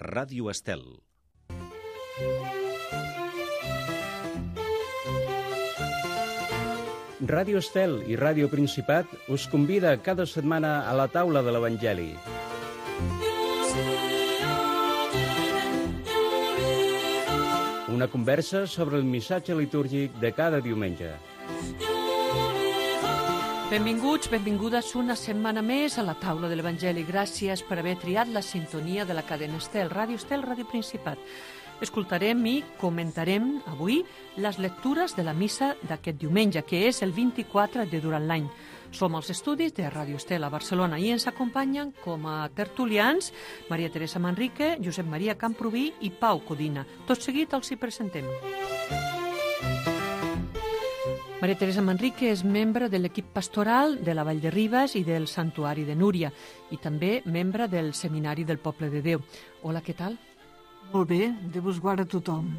Ràdio Estel. Ràdio Estel i Ràdio Principat us convida cada setmana a la taula de l'Evangeli. Una conversa sobre el missatge litúrgic de cada diumenge. Benvinguts, benvingudes una setmana més a la taula de l'Evangeli. Gràcies per haver triat la sintonia de la cadena Estel, Ràdio Principat. Escoltarem i comentarem avui les lectures de la missa d'aquest diumenge, que és el 24 de durant l'any. Som als estudis de Ràdio Estel a Barcelona i ens acompanyen com a tertulians Maria Teresa Manrique, Josep Maria Camprubí i Pau Codina. Tot seguit els hi presentem. Maria Teresa Manrique és membre de l'equip pastoral de la Vall de Ribes i del Santuari de Núria i també membre del Seminari del Poble de Déu. Hola, què tal? Molt bé, Déu us guarda tothom.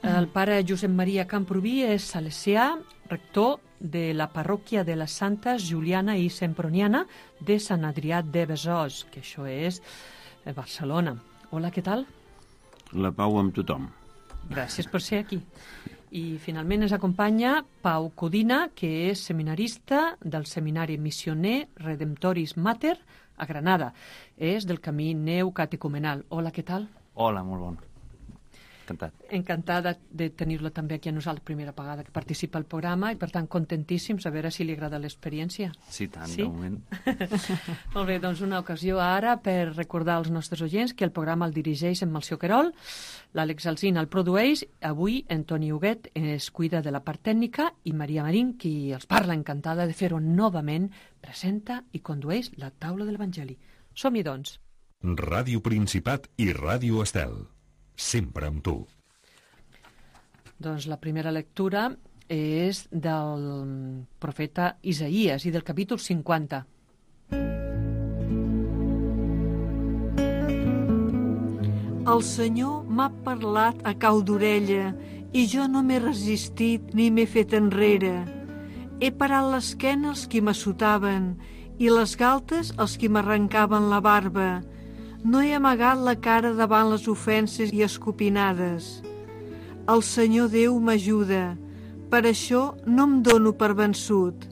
El pare Josep Maria Camprubí és salesià, rector de la parròquia de les Santes Juliana i Semproniana de Sant Adrià de Besòs, que això és a Barcelona. Hola, què tal? La pau amb tothom. Gràcies per ser aquí. I finalment ens acompanya Pau Codina, que és seminarista del Seminari Missioner Redemptoris Mater a Granada. És del camí neocatecumenal. Hola, què tal? Hola, molt bon. Encantat. Encantada de tenir-lo també aquí a nosaltres, primera vegada que participa al programa i, per tant, contentíssims a veure si li agrada l'experiència. Sí, tant, sí? De moment. Molt bé, doncs una ocasió ara per recordar als nostres oients que el programa el dirigeix en Melcior Querol, l'Àlex Alsina el produeix, avui en Toni Huguet es cuida de la part tècnica i Maria Marín, qui els parla, encantada de fer-ho novament, presenta i condueix la taula de l'Evangeli. Som-hi, doncs. Ràdio Principat i Ràdio Estel. Sempre amb tu. Doncs la primera lectura és del profeta Isaïes i del capítol 50. El Senyor m'ha parlat a cau d'orella i jo no m'he resistit ni m'he fet enrere. He parat l'esquena als qui m'assotaven i les galtes als qui m'arrencaven la barba. No he amagat la cara davant les ofenses i escopinades. El Senyor Déu m'ajuda, per això no em dono per vençut.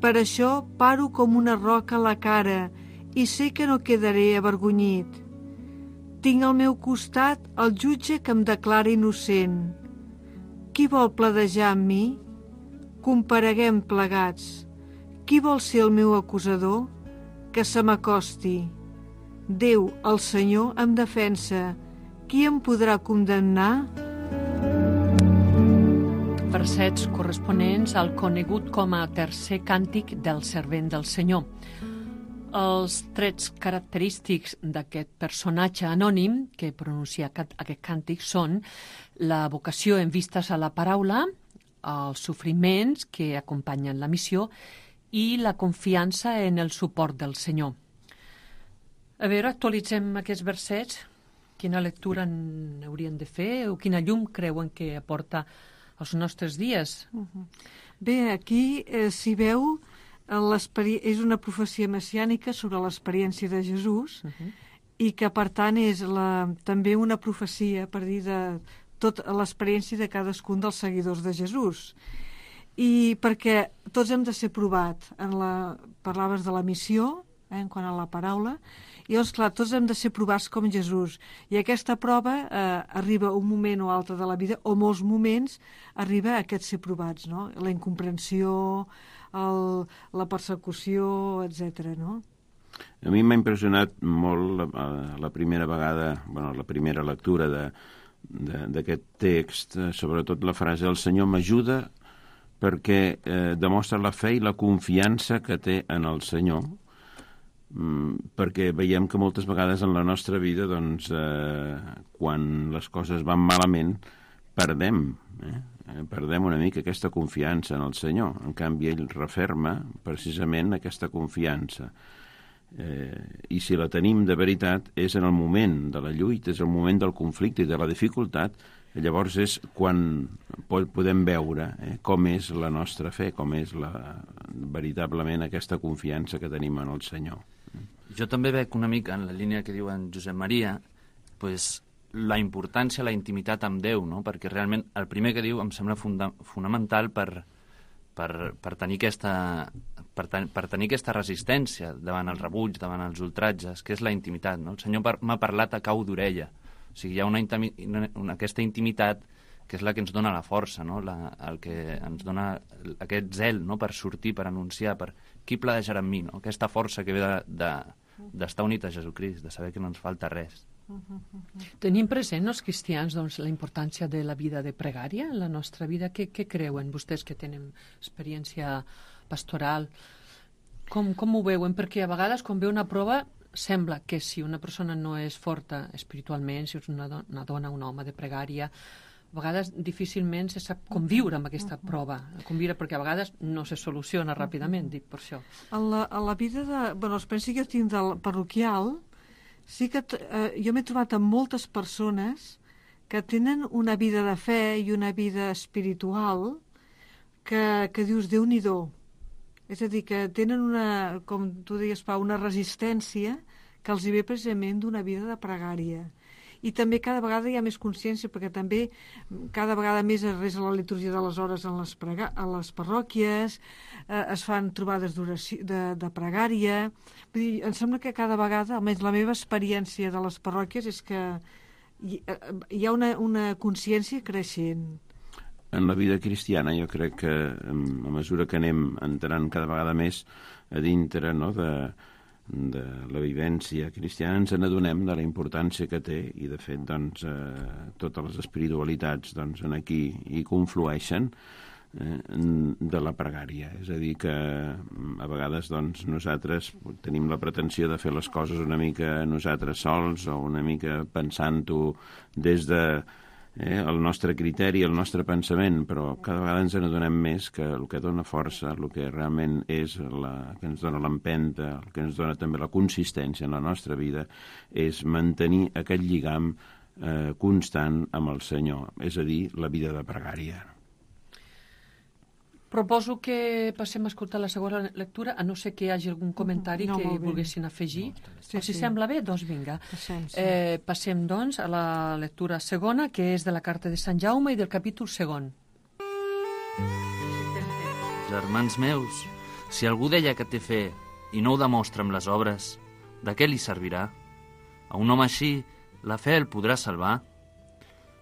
Per això paro com una roca a la cara i sé que no quedaré avergonyit. Tinc al meu costat el jutge que em declara innocent. Qui vol pledejar amb mi? Compareguem plegats. Qui vol ser el meu acusador? Que se m'acosti. Déu, el Senyor, em defensa. Qui em podrà condemnar? Versets corresponents al conegut com a tercer càntic del servent del Senyor. Els trets característics d'aquest personatge anònim que pronuncia aquest càntic són la vocació en vistes a la paraula, els sofriments que acompanyen la missió i la confiança en el suport del Senyor. A veure, actualitzem aquests versets. Quina lectura n'haurien de fer o quina llum creuen que aporta als nostres dies? Bé, aquí s'hi veu, és una profecia messiànica sobre l'experiència de Jesús i que, per tant, és també una profecia per dir de tota l'experiència de cadascun dels seguidors de Jesús. I perquè tots hem de ser provats. Parlaves de la missió, en quant a la paraula, i llavors, clar, tots hem de ser provats com Jesús. I aquesta prova arriba un moment o altre de la vida, o molts moments, arriba a aquest ser provats, no? La incomprensió, la persecució, etc. no? A mi m'ha impressionat molt la primera vegada, la primera lectura d'aquest text, sobretot la frase «El Senyor m'ajuda» perquè demostra la fe i la confiança que té en el Senyor, perquè veiem que moltes vegades en la nostra vida, doncs, quan les coses van malament, perdem una mica aquesta confiança en el Senyor. En canvi, ell referma precisament aquesta confiança. I si la tenim de veritat és en el moment de la lluita, és el moment del conflicte i de la dificultat, llavors és quan podem veure com és la nostra fe, com és veritablement aquesta confiança que tenim en el Senyor. Jo també veig una mica en la línia que diu en Josep Maria, pues, la importància, la intimitat amb Déu, no? Perquè realment el primer que diu em sembla fonamental per tenir aquesta resistència davant el rebuig, davant els ultratges, que és la intimitat, no? El Senyor m'ha parlat a cau d'orella. O sigui, hi ha aquesta intimitat que és la que ens dona la força, no? El que ens dona aquest zel, no? Per sortir, per anunciar, per qui pledejarà amb mi, no? Aquesta força que ve d'estar unit a Jesucrist, de saber que no ens falta res. Tenim present els cristians doncs, la importància de la vida de pregària en la nostra vida. Què creuen vostès que tenen experiència pastoral? Com ho veuen? Perquè a vegades quan ve una prova sembla que si una persona no és forta espiritualment, si és una dona, un home de pregària, a vegades difícilment se sap conviure amb aquesta prova, conviure perquè a vegades no se soluciona ràpidament, dic per això. A la vida l'experiència que jo tinc del parroquial, sí que jo m'he trobat amb moltes persones que tenen una vida de fe i una vida espiritual que dius, Déu-n'hi-do. És a dir, que tenen com tu deies, Pau, una resistència que els hi ve precisament d'una vida de pregària. I també cada vegada hi ha més consciència, perquè també cada vegada més es resa la liturgia de les hores a les parròquies, es fan trobades de pregària. Vull dir, em sembla que cada vegada, almenys la meva experiència de les parròquies, és que hi ha una consciència creixent. En la vida cristiana jo crec que a mesura que anem entrant cada vegada més a dintre, no, de la vivència cristiana, ens n'adonem de la importància que té i de fet doncs, totes les espiritualitats doncs, aquí hi conflueixen de la pregària. És a dir que a vegades doncs, nosaltres tenim la pretensió de fer les coses una mica nosaltres sols o una mica pensant-ho des de el nostre criteri, el nostre pensament, però cada vegada ens n'adonem més que el que dona força, el que realment és que ens dona l'empenta, el que ens dona també la consistència en la nostra vida, és mantenir aquest lligam constant amb el Senyor, és a dir, la vida de pregària. Proposo que passem a escoltar la segona lectura, a no ser que hi hagi algun comentari que volguessin afegir. Si sembla bé, doncs vinga. Passem, doncs, a la lectura segona, que és de la carta de Sant Jaume i del capítol segon. Germans meus, si algú deia que té fe i no ho demostra amb les obres, de què li servirà? A un home així, la fe el podrà salvar?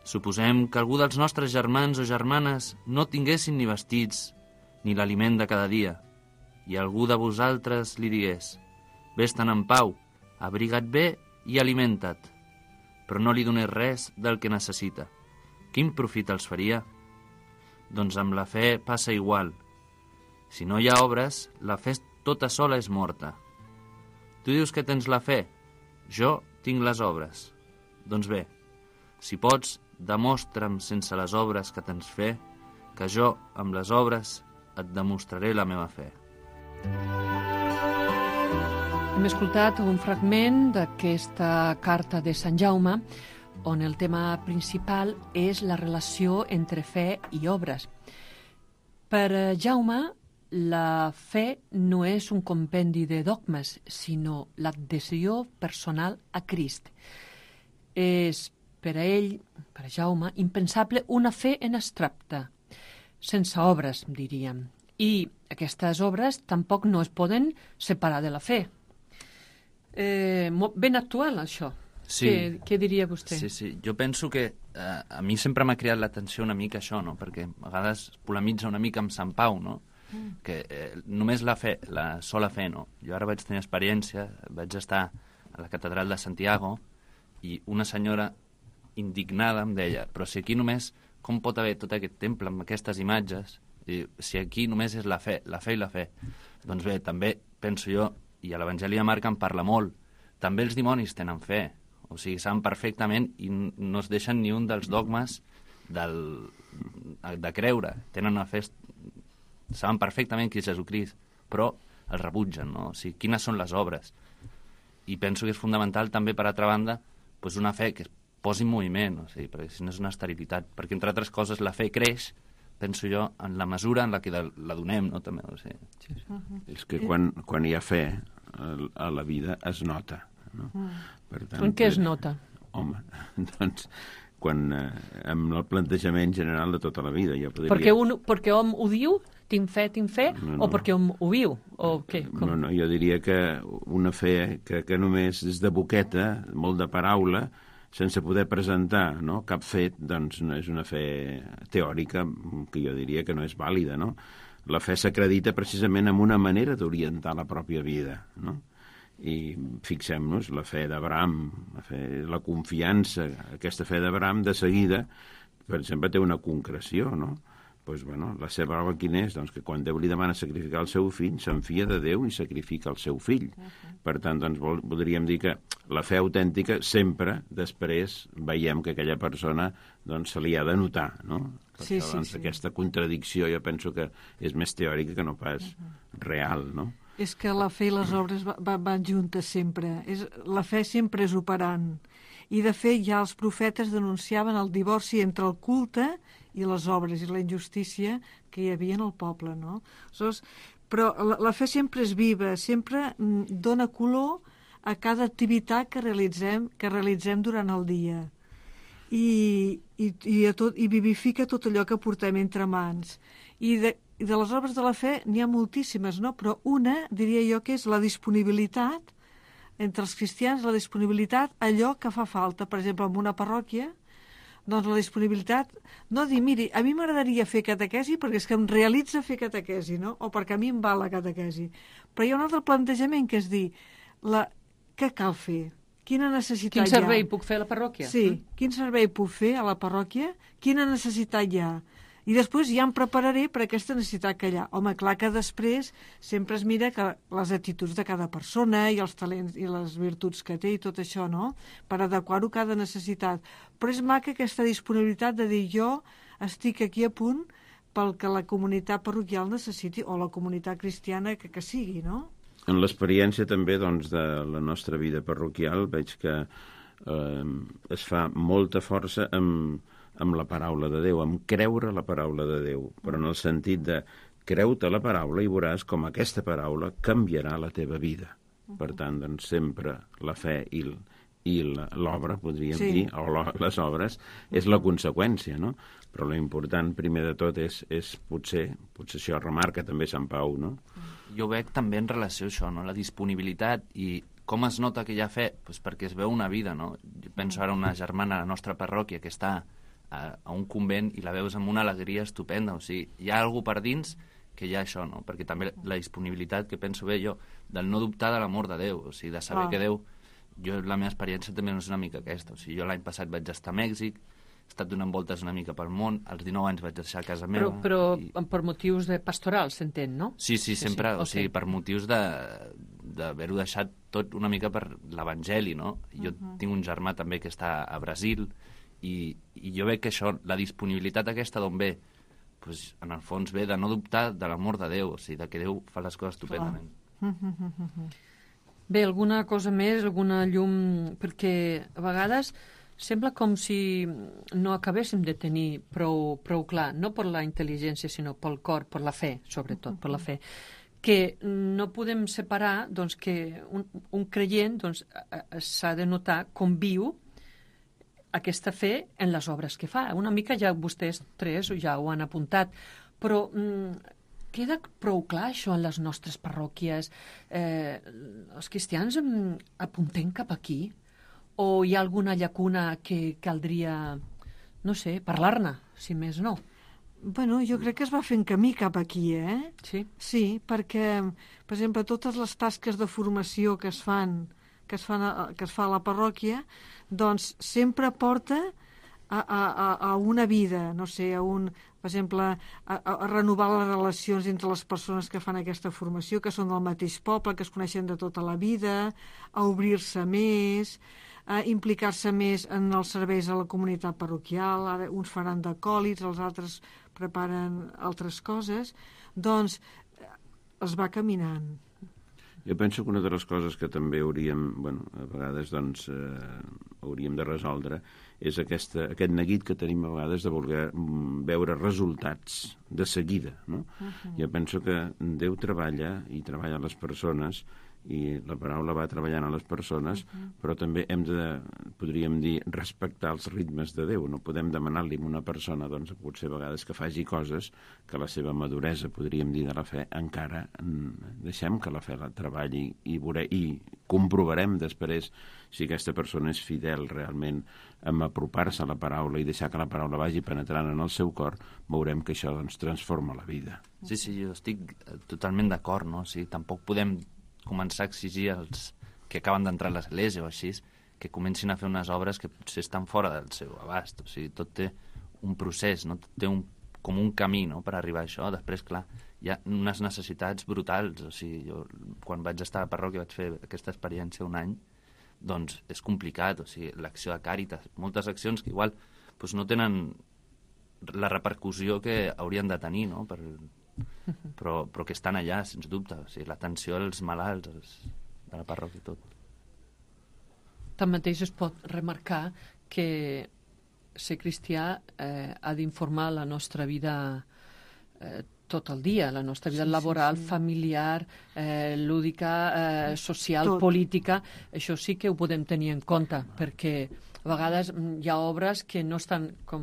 Suposem que algú dels nostres germans o germanes no tinguessin ni vestits, ni l'aliment de cada dia, i algú de vosaltres li digués: vés-te'n en pau, abriga't bé i alimenta't, però no li donés res del que necessita. Quin profit els faria? Doncs amb la fe passa igual. Si no hi ha obres, la fe tota sola és morta. Tu dius que tens la fe, jo tinc les obres. Doncs bé, si pots, demostra'm sense les obres que tens fe, que jo, amb les obres, et demostraré la meva fe. Hem escoltat un fragment d'aquesta carta de Sant Jaume, on el tema principal és la relació entre fe i obres. Per Jaume, la fe no és un compendi de dogmes, sinó l'adhesió personal a Crist. És per a ell, per a Jaume, impensable una fe en abstracte, sense obres, diríem. I aquestes obres tampoc no es poden separar de la fe. Ben actual, això. Sí. Què diria vostè? Sí. Jo penso que a mi sempre m'ha cridat l'atenció una mica això, no? Perquè a vegades polemitza una mica amb Sant Pau, no? Que només la fe, la sola fe, no? Jo ara vaig tenir experiència, vaig estar a la catedral de Santiago i una senyora indignada em deia: però si aquí només, com pot haver tot aquest temple amb aquestes imatges, si aquí només és la fe i la fe? Doncs bé, també penso jo, i a l'Evangeli de Marc en parla molt, també els dimonis tenen fe, o sigui, saben perfectament i no es deixen ni un dels dogmes de creure, tenen una fe, saben perfectament qui és Jesucrist, però el rebutgen, no? O sigui, quines són les obres? I penso que és fonamental també, per altra banda, doncs una fe que es posi en moviment, o sigui, perquè si no és una esterilitat, perquè entre altres coses la fe creix, penso jo, en la mesura en la que la donem, no? També, o sigui. És que quan hi ha fe, a la vida es nota. No? Per tant, En què es nota? Home, doncs, amb el plantejament general de tota la vida. Jo podria... Perquè hom ho diu, tinc fe, No. o perquè hom ho viu? O què? Com? No, jo diria que una fe que només és de boqueta, molt de paraula, sense poder presentar, no, cap fet, doncs no és una fe teòrica que jo diria que no és vàlida, no? La fe s'acredita precisament amb una manera d'orientar la pròpia vida, no? I fixem-nos, la fe d'Abraham, la confiança, aquesta fe d'Abraham, de seguida, per exemple, té una concreció, no? Doncs, bueno, la seva prova quina és? Doncs que quan Déu li demana sacrificar el seu fill, s'enfia de Déu i sacrifica el seu fill. Per tant, doncs, voldríem dir que la fe autèntica sempre, després, veiem que aquella persona doncs, se li ha de notar, no? Sí, això, doncs, sí. aquesta contradicció jo penso que és més teòrica que no pas real, no? És que la fe i les obres van juntes sempre. La fe sempre és operant. I, de fet, ja els profetes denunciaven el divorci entre el culte i les obres i la injustícia que hi havia en el poble, no? Però la fe sempre és viva, sempre dona color a cada activitat que realitzem durant el dia. I vivifica tot allò que portem entre mans. I de les obres de la fe n'hi ha moltíssimes, no? Però una, diria jo, que és la disponibilitat entre els cristians, la disponibilitat a allò que fa falta. Per exemple, en una parròquia, doncs la disponibilitat, no dir, miri, a mi m'agradaria fer catequesi perquè és que em realitza fer catequesi, no? O perquè a mi em va la catequesi. Però hi ha un altre plantejament que és dir, què cal fer? Quina necessitat hi ha? Quin servei puc fer a la parròquia? Sí, quin servei puc fer a la parròquia? Quina necessitat hi ha? I després ja em prepararé per aquesta necessitat que hi ha. Home, clar que després sempre es mira que les actituds de cada persona i els talents i les virtuts que té i tot això, no? Per adequar-ho a cada necessitat. Però és maca aquesta disponibilitat de dir jo estic aquí a punt pel que la comunitat parroquial necessiti o la comunitat cristiana que sigui, no? En l'experiència també doncs, de la nostra vida parroquial veig que es fa molta força amb la paraula de Déu, amb creure la paraula de Déu, però en el sentit de creu-te la paraula i veuràs com aquesta paraula canviarà la teva vida. Per tant, doncs, sempre la fe i l'obra, podríem dir, o les obres, és la conseqüència, no? Però l'important, primer de tot, és potser això remarca també Sant Pau, no? Jo veig també en relació a això, no? La disponibilitat i com es nota que hi ha fe? Pues perquè es veu una vida, no? Jo penso ara una germana a la nostra parròquia que està a un convent i la veus amb una alegria estupenda, o sigui, hi ha algú per dins que hi ha això, no? Perquè també la disponibilitat que penso bé jo, del no dubtar de l'amor de Déu, o sigui, de saber que Déu, la meva experiència també no és una mica aquesta, o sigui, jo l'any passat vaig estar a Mèxic, he estat donant voltes una mica pel món, als 19 anys vaig deixar casa meva. Però per motius de pastoral, s'entén, no? Sí, sempre, o sigui, per motius d'haver-ho deixat tot una mica per l'Evangeli, no? Jo tinc un germà també que està a Brasil, i jo veig que això, la disponibilitat aquesta d'on ve, pues, en el fons ve de no dubtar de l'amor de Déu, o sigui, de que Déu fa les coses estupendament. Bé, alguna cosa més, alguna llum, perquè a vegades sembla com si no acabéssim de tenir prou clar, no per la intel·ligència, sinó pel cor, per la fe, sobretot, per la fe, que no podem separar doncs, que un creient doncs, s'ha de notar com viu aquesta fe en les obres que fa. Una mica ja vostès tres ja ho han apuntat, però queda prou clar això en les nostres parròquies? Els cristians apuntem cap aquí? O hi ha alguna llacuna que caldria, no sé, parlar-ne, si més no? Bueno, jo crec que es va fent camí cap aquí, Sí? Sí, perquè, per exemple, totes les tasques de formació que es fa a la parròquia, doncs sempre porta a una vida, no sé, per exemple, a renovar les relacions entre les persones que fan aquesta formació, que són del mateix poble, que es coneixen de tota la vida, a obrir-se més, a implicar-se més en els serveis a la comunitat parroquial. Ara uns faran d'acòlits, els altres preparen altres coses, doncs es va caminant. Jo penso que una de les coses que també hauríem, a vegades doncs, hauríem de resoldre és aquest neguit que tenim a vegades de voler veure resultats de seguida, no? Jo penso que Déu treballa i treballa les persones i la paraula va treballant a les persones, però també hem de, podríem dir, respectar els ritmes de Déu. No podem demanar-li a una persona, doncs, potser a vegades que faci coses que la seva maduresa, podríem dir, de la fe, encara deixem que la fe la treballi i comprovarem després si aquesta persona és fidel realment en apropar-se a la paraula i deixar que la paraula vagi penetrant en el seu cor, veurem que això doncs, transforma la vida. Sí, jo estic totalment d'acord, no? O sigui, tampoc podem començar a exigir als que acaben d'entrar a l'església o així, que comencin a fer unes obres que potser estan fora del seu abast. O sigui, tot té un procés, no? Té com un camí, no?, per arribar a això. Després, clar, hi ha unes necessitats brutals. O sigui, jo, quan vaig estar a la parròquia, vaig fer aquesta experiència un any, doncs és complicat. O sigui, l'acció de Càritas, moltes accions que igual doncs, no tenen la repercussió que haurien de tenir, no?, però que estan allà, sens dubte. O sigui, l'atenció als malalts de la parròquia i tot. Tanmateix es pot remarcar que ser cristià ha d'informar la nostra vida tot el dia, la nostra vida laboral, familiar, lúdica, social, política. Això sí que ho podem tenir en compte, perquè a vegades hi ha obres que no estan, com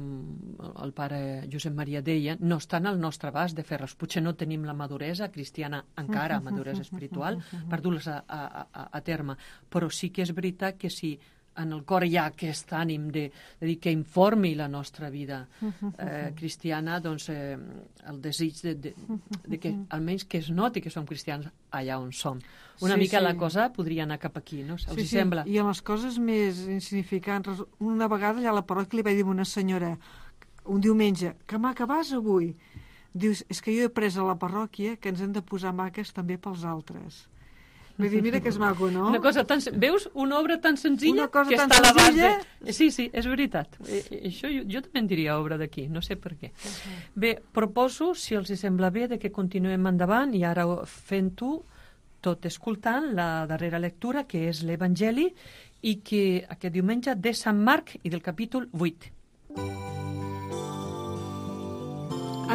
el pare Josep Maria deia, no estan al nostre abast de fer-les. Potser no tenim la maduresa cristiana encara, maduresa espiritual, per dur-les a terme. Però sí que és veritat que si en el cor hi ha aquest ànim de dir que informi la nostra vida cristiana, doncs el desig de que almenys que es noti que som cristians allà on som. Una mica la cosa podria anar cap aquí, no? Els sembla? I en les coses més insignificants, una vegada allà a la parròquia li vaig dir a una senyora un diumenge, que maca vas avui? Dius, és que jo he pres a la parròquia que ens hem de posar maques també pels altres. Vull dir, mira que és maco, no? Una cosa tan... Veus? Una obra tan senzilla que tan està a l'abast senzilla. de... Sí, és veritat. Això jo també en diria obra d'aquí, no sé per què. Bé, proposo, si els sembla bé, de que continuem endavant i ara fent-ho, tot escoltant la darrera lectura, que és l'Evangeli, i que aquest diumenge de Sant Marc i del capítol 8.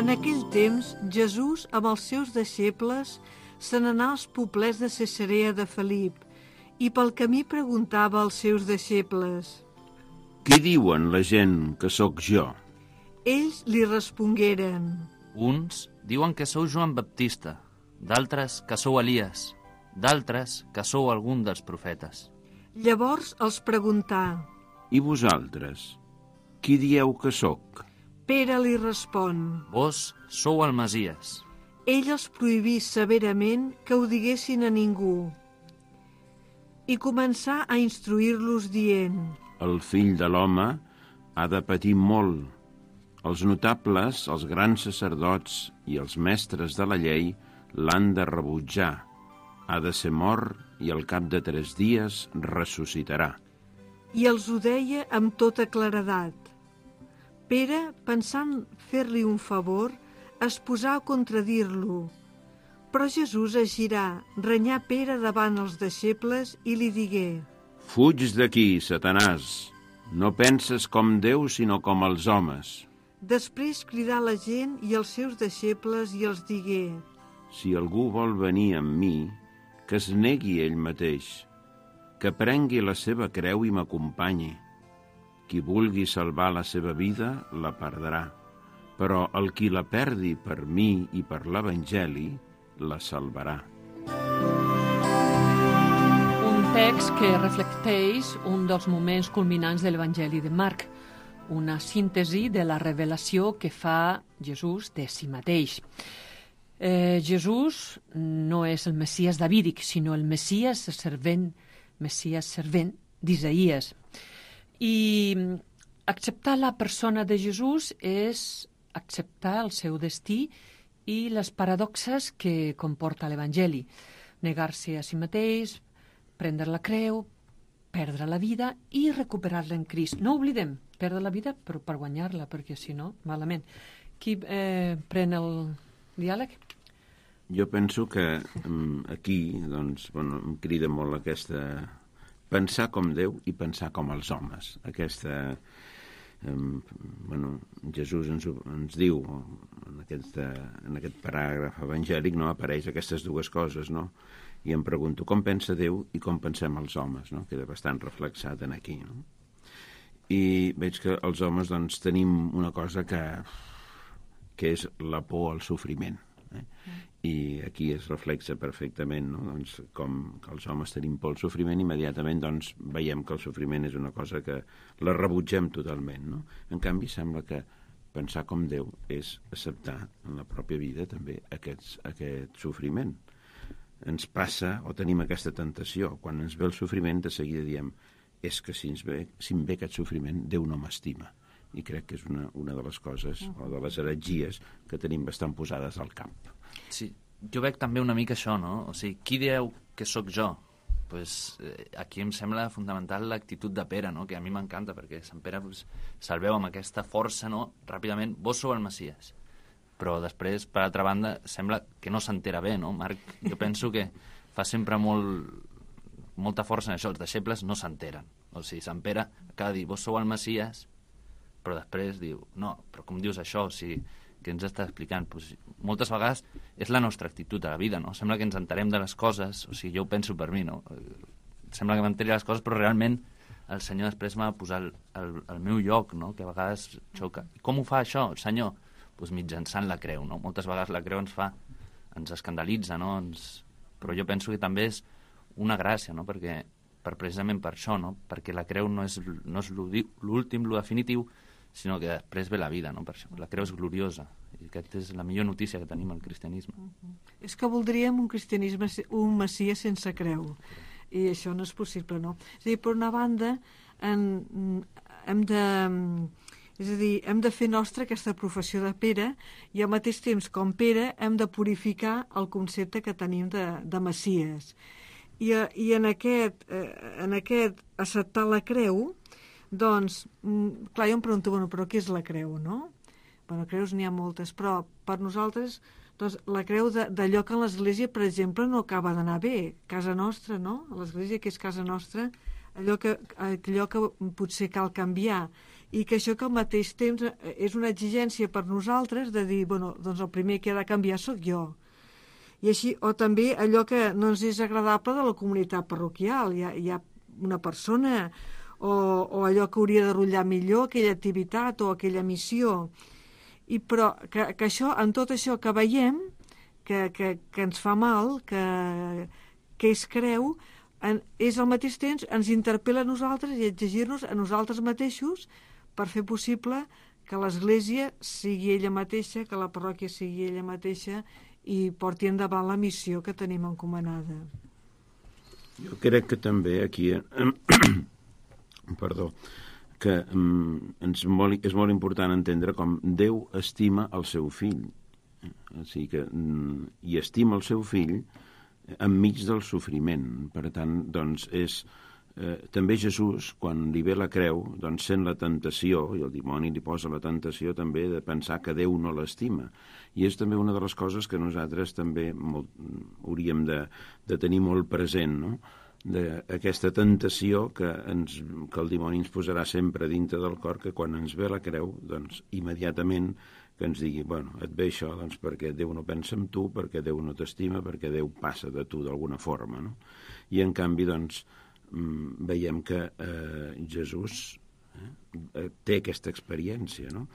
En aquell temps, Jesús, amb els seus deixebles, se n'anà als poblets de Cesarea de Felip i pel camí preguntava als seus deixebles: Qui diuen la gent que sóc jo? Ells li respongueren: Uns diuen que sou Joan Baptista, d'altres que sou Elies, d'altres que sou algun dels profetes. Llavors els preguntà: I vosaltres, qui dieu que sóc? Pere li respon: Vos sou el Masies. Ell els prohibí severament que ho diguessin a ningú i començà a instruir-los dient: El fill de l'home ha de patir molt. Els notables, els grans sacerdots i els mestres de la llei l'han de rebutjar. Ha de ser mort i al cap de 3 dies ressuscitarà. I els ho deia amb tota claredat. Pere, pensant fer-li un favor, es posà a contradir-lo. Però Jesús es girà, renyà Pere davant els deixebles i li digué: Fuig d'aquí, Satanàs! No penses com Déu, sinó com els homes. Després cridà la gent i els seus deixebles i els digué: Si algú vol venir amb mi, que es negui ell mateix, que prengui la seva creu i m'acompanyi. Qui vulgui salvar la seva vida, la perdrà. Però el qui la perdi per mi i per l'Evangeli, la salvarà. Un text que reflecteix un dels moments culminants de l'Evangeli de Marc, una síntesi de la revelació que fa Jesús de si mateix. Jesús no és el Messies davídic, sinó el Messies servent d'Isaïes. I acceptar la persona de Jesús és acceptar el seu destí i les paradoxes que comporta l'Evangeli. Negar-se a si mateix, prendre la creu, perdre la vida i recuperar-la en Crist. No oblidem, perdre la vida però per guanyar-la, perquè si no, malament. Qui pren el diàleg? Jo penso que aquí doncs, em crida molt aquesta... pensar com Déu i pensar com els homes. Aquesta... Jesús ens diu en aquest paràgraf evangèlic, no, apareix aquestes dues coses, no? i em pregunto com pensa Déu i com pensem els homes, no? Queda bastant reflexat en aquí, no? I veig que els homes doncs, tenim una cosa que és la por al sofriment. I aquí es reflexa perfectament, no? Doncs, com que els homes tenim por al sofriment, immediatament doncs, veiem que el sofriment és una cosa que la rebutgem totalment, no? En canvi, sembla que pensar com Déu és acceptar en la pròpia vida també aquest sofriment. Ens passa, o tenim aquesta tentació, quan ens ve el sofriment, de seguida diem és que si em ve aquest sofriment, Déu no m'estima. I crec que és una de les coses, o de les heretgies, que tenim bastant posades al cap. Sí, jo veig també una mica això, no? O sigui, qui dieu que sóc jo? Pues, aquí em sembla fundamental l'actitud de Pere, no? Que a mi m'encanta, perquè Sant Pere se'l veu amb aquesta força, no? Ràpidament, vos sou el Messies. Però després, per altra banda, sembla que no s'entera bé, no? Marc, jo penso que fa sempre molta força en això. Els deixebles no s'enteren. O sigui, Sant Pere acaba de dir, vos sou el Messies, però després diu, no, però com dius això? O sigui, que ens està explicant? Pues, moltes vegades és la nostra actitud a la vida, no? Sembla que ens enterem de les coses, o sigui, jo ho penso per mi, no? Sembla que m'enteri les coses, però realment el Senyor després m'ha de posar al meu lloc, no? Que a vegades xoca. I com ho fa això, el Senyor? Pues mitjançant la creu, no? Moltes vegades la creu ens escandalitza, no? Però jo penso que també és una gràcia, no? Precisament per això, no? Perquè la creu no és l'últim, lo definitiu, sinó que després ve la vida, no? Per això la creu és gloriosa, i aquesta és la millor notícia que tenim al cristianisme. És que voldríem un cristianisme, un Messies sense creu, i això no és possible, no? És a dir, per una banda, hem de fer nostra aquesta professió de Pere, i al mateix temps, com Pere, hem de purificar el concepte que tenim de Messies. I en aquest acceptar la creu, doncs, clar, jo em pregunto, bueno, però què és la creu, no? Bueno, creus n'hi ha moltes, però per nosaltres, doncs, la creu d'allò que a l'Església, per exemple, no acaba d'anar bé, casa nostra, no? A l'Església, que és casa nostra, allò que potser cal canviar, i que això que al mateix temps és una exigència per nosaltres de dir, bueno, doncs el primer que ha de canviar sóc jo. I així, o també allò que no ens és agradable de la comunitat parroquial, hi ha una persona o allò que hauria de rotllar millor, aquella activitat o aquella missió. Però que això, en tot això que veiem, que ens fa mal, que és creu, és al mateix temps ens interpel·la a nosaltres i exigir-nos a nosaltres mateixos per fer possible que l'Església sigui ella mateixa, que la parròquia sigui ella mateixa i porti endavant la missió que tenim encomanada. Jo crec que també aquí que és molt important entendre com Déu estima el seu fill. O sigui que, i estima el seu fill enmig del sofriment. Per tant, doncs, també Jesús, quan li ve la creu, doncs sent la tentació, i el dimoni li posa la tentació també de pensar que Déu no l'estima. I és també una de les coses que nosaltres també hauríem de tenir molt present, no? D'aquesta tentació que el dimoni ens posarà sempre dintre del cor, que quan ens ve la creu, doncs immediatament que ens digui, bueno, et ve això doncs perquè Déu no pensa en tu, perquè Déu no t'estima, perquè Déu passa de tu d'alguna forma, no? I en canvi, doncs, veiem que Jesús té aquesta experiència, no?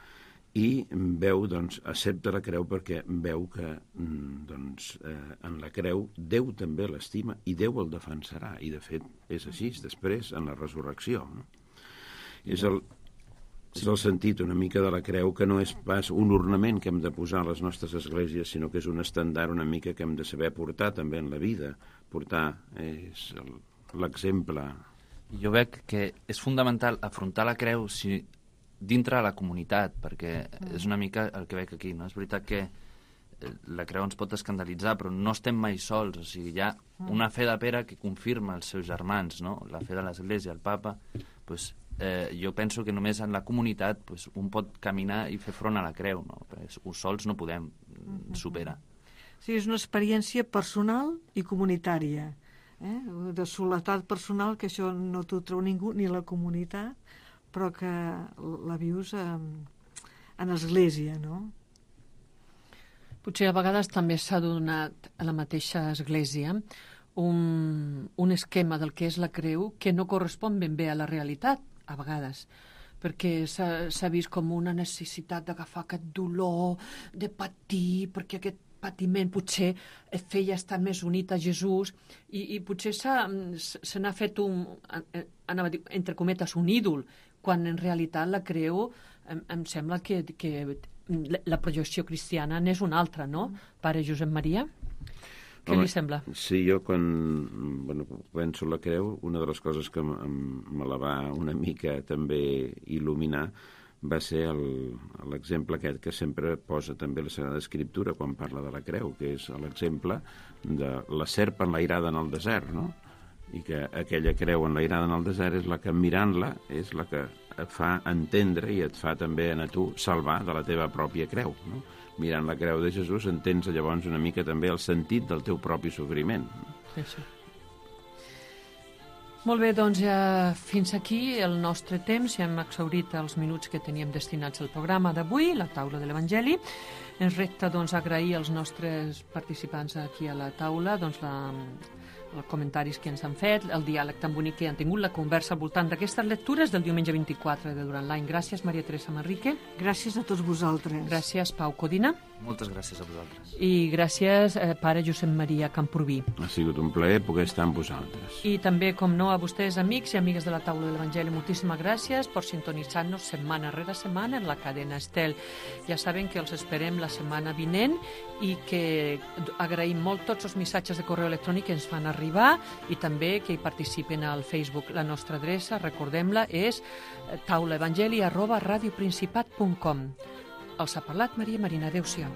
I veu, doncs, accepta la creu perquè veu que doncs, en la creu Déu també l'estima i Déu el defensarà, i de fet és així després en la resurrecció, no? És el sentit una mica de la creu, que no és pas un ornament que hem de posar a les nostres esglésies, sinó que és un estendard una mica que hem de saber portar també en la vida. Portar és l'exemple. Jo veig que és fundamental afrontar la creu dintre de la comunitat, perquè és una mica el que veig aquí, no? És veritat que la creu ens pot escandalitzar, però no estem mai sols, o sigui, hi ha una fe de Pere que confirma els seus germans, no? La fe de l'Església, el papa, doncs, jo penso que només en la comunitat doncs, un pot caminar i fer front a la creu, no? Perquè sols no podem superar. Sí, és una experiència personal i comunitària, de soledat personal, que això no t'ho treu ningú, ni la comunitat, però que la vius en església, no? Potser a vegades també s'ha donat a la mateixa església un esquema del que és la creu que no correspon ben bé a la realitat, a vegades, perquè s'ha vist com una necessitat d'agafar aquest dolor, de patir, perquè aquest patiment potser et feia estar més unit a Jesús i potser se n'ha fet anava a dir, entre cometes, un ídol, quan en realitat la creu em sembla que la projecció cristiana n'és una altra, no? Pare Josep Maria? Què li sembla? Sí, jo quan penso la creu, una de les coses que me la va una mica també il·luminar va ser l'exemple aquest que sempre posa també la Sagrada Escriptura quan parla de la creu, que és l'exemple de la serp enlairada en el desert, no? I que aquella creu enlairada en el desert és la que, mirant-la, és la que et fa entendre i et fa també a tu salvar de la teva pròpia creu, no? Mirant la creu de Jesús entens llavors una mica també el sentit del teu propi sofriment. Això. Molt bé, doncs ja fins aquí el nostre temps. Ja hem exhaurit els minuts que teníem destinats al programa d'avui, la taula de l'Evangeli. Ens resta doncs agrair als nostres participants aquí a la taula doncs els comentaris que ens han fet, el diàleg tan bonic que han tingut, la conversa al voltant d'aquestes lectures del diumenge 24 de durant l'any. Gràcies, Maria Teresa Manrique. Gràcies a tots vosaltres. Gràcies, Pau Codina. Moltes gràcies a vosaltres. I gràcies, pare Josep Maria Camprubí. Ha sigut un plaer poder estar amb vosaltres. I també, com no, a vostès, amics i amigues de la taula de l'Evangeli, moltíssimes gràcies per sintonitzar-nos setmana rere setmana en la cadena Estel. Ja saben que els esperem la setmana vinent i que agraïm molt tots els missatges de correu electrònic que ens fan arribar i també que hi participen al Facebook. La nostra adreça, recordem-la, és taulaevangeli@radioprincipat.com. Els ha parlat Maria Marina. Adéu-siau.